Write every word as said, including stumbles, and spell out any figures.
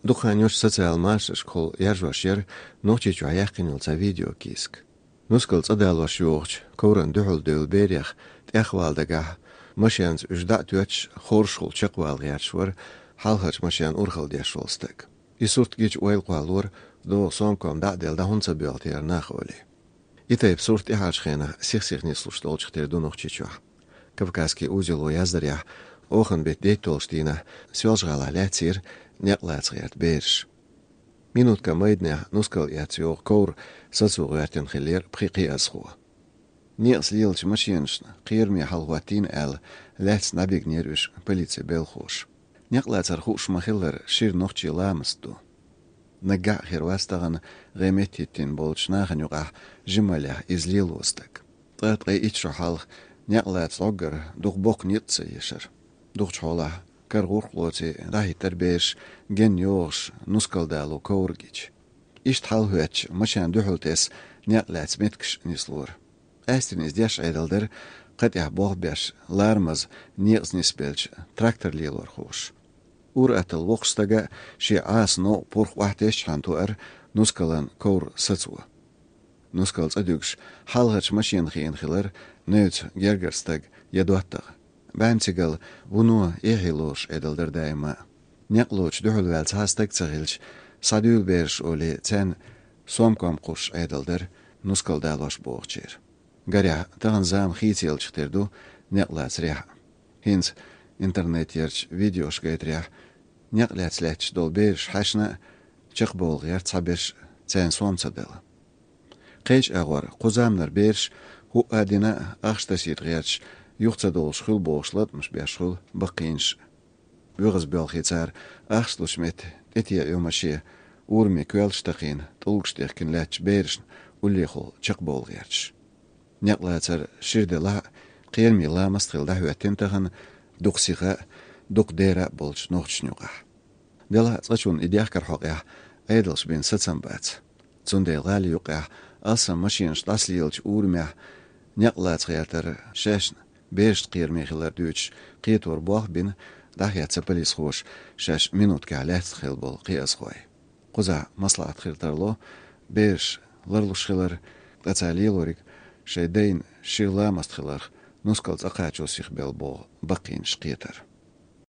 Дукха хан йолчу социал машанашкахула яржош яра Нохчийчохь яьккхина йолу цхьа видеокийсак. Нускал цӀа далош йогӀучу коврана дуьхьал девлла берех тӀехвала дагахь, машенца уьш дӀа а тоьттуш, хоршахула чекхвала гӀерташ вара хьалхарчу машенна урхалла деш волу стаг. И сурт гича ойла кхоллалора, догӀу сомком дӀа а делла, дӀа хӀунда ца боьлху те нах олий. И тайпа сурт тӀаьхьарчу хенахь сих-сиха нислуш долчух тера ду Нохчийчохь. Кавказский узело яздарехь, оханан беттан дейтталгӀачу дийнахь Соьлжа-ГӀалахь лаьцнера некъалаца гӀерта бераш. Минуткан майданехь нускал эцна йогӀу ковра сацо гӀоьртина хиллера пхи кхиазхо. Некъаца лелачу машенашна кхераме хьалахӀоттийна аьлла, лаьцна дӀабигнера уьш полицин белхалоша. Некъалацар хууш ма-хиллара, шира нохчийн ламаст ду. Наггахь а хир вац тахана гӀеметтахӀиттина болчу нахана юкъахь жималлехь иза лело стаг. Ткъа, ткъе итт шо хьалха некъалаца гӀоггара дукха боккха ницкъ ца ешара. Дукхачу хьолахь кара гӀуллакх лоций дӀахӀиттара бераш, генна йогӀуш, нускал дало ковра гича. Иштта хьалахӀоьттича, машенна дуьхьал тесна некъ лаьцна меттигаш нислора. Къаьсттина иза деш Ӏедал дара кхатӀехь болх беш, ларамаза некъаца нисбеллачу трактор лелорхоша. Ур-атталла воккхачу стага шен Ӏаса новкъа пурх охьатесчхьана тоьара нускалан ковра сацо. Нускал цӀа дуьгуш, хьалхарчу машенна хиъна хилира невца гергара стаг я доттагӀа. БӀаьрмигал вуно эхье лоруш Ӏедал дара даима а. Некъ лоцуш дуьхьал ваьлла цхьа а стаг ца хилча, схьадуьйла бераш олий, царна сомком кхуссуш Ӏедал дара нускал далош богӀучеран. Гарехь, тахана зама хийцаяллачух тера ду некъалацарехь а. ХӀинца интернетехь ярчу видеошка гайтарехь, некъ лаьцна лаьтташ долу бераш хьаьшна а, чекхбовла гӀерта цхьаберш а, царна сом ца дала. Кхечу агӀор кху заманара бераш хӀуъа а дина, ахча тасийта гӀерташ, юха ца долуш хуьлу бохуш латкъамаш беш хуьлу баккхийнаш а. ВуьгӀаза боьлхий цара ахча лучу метте тӀетеӀа йо машен, ураме коьллаш такхийна, тӀулгаш тӀехкина лаьттачу берашна уллехула чекхбовла гӀерташ. Некъалацар шира делахь а, кхераме ламаст хилла дӀахӀоьттина тахана дукха сиха а, дукха дера а болчу нохчашна юкъахь. Делахь а цкъачунна и дехкаран хьокъехь Ӏедалша бина сацам бац. Цундела гӀали юккъехь алсам машенаш дӀасалелачу урамехь некъ лаца гӀертар шаьшна берашна кхераме хилар дуьйцуш кхетор болх бина дӀахецна полисхоша шаьш минуткехь лаьцна хилла болу кхиазхой. Кхузахь маслаӀат хир тарло, бераш ларлуш хилар, ткъа цара лелориг шайн дайна шира ламаст хиларх нускал цӀа кхачо сихбелла боху баккхийнаш кхетар.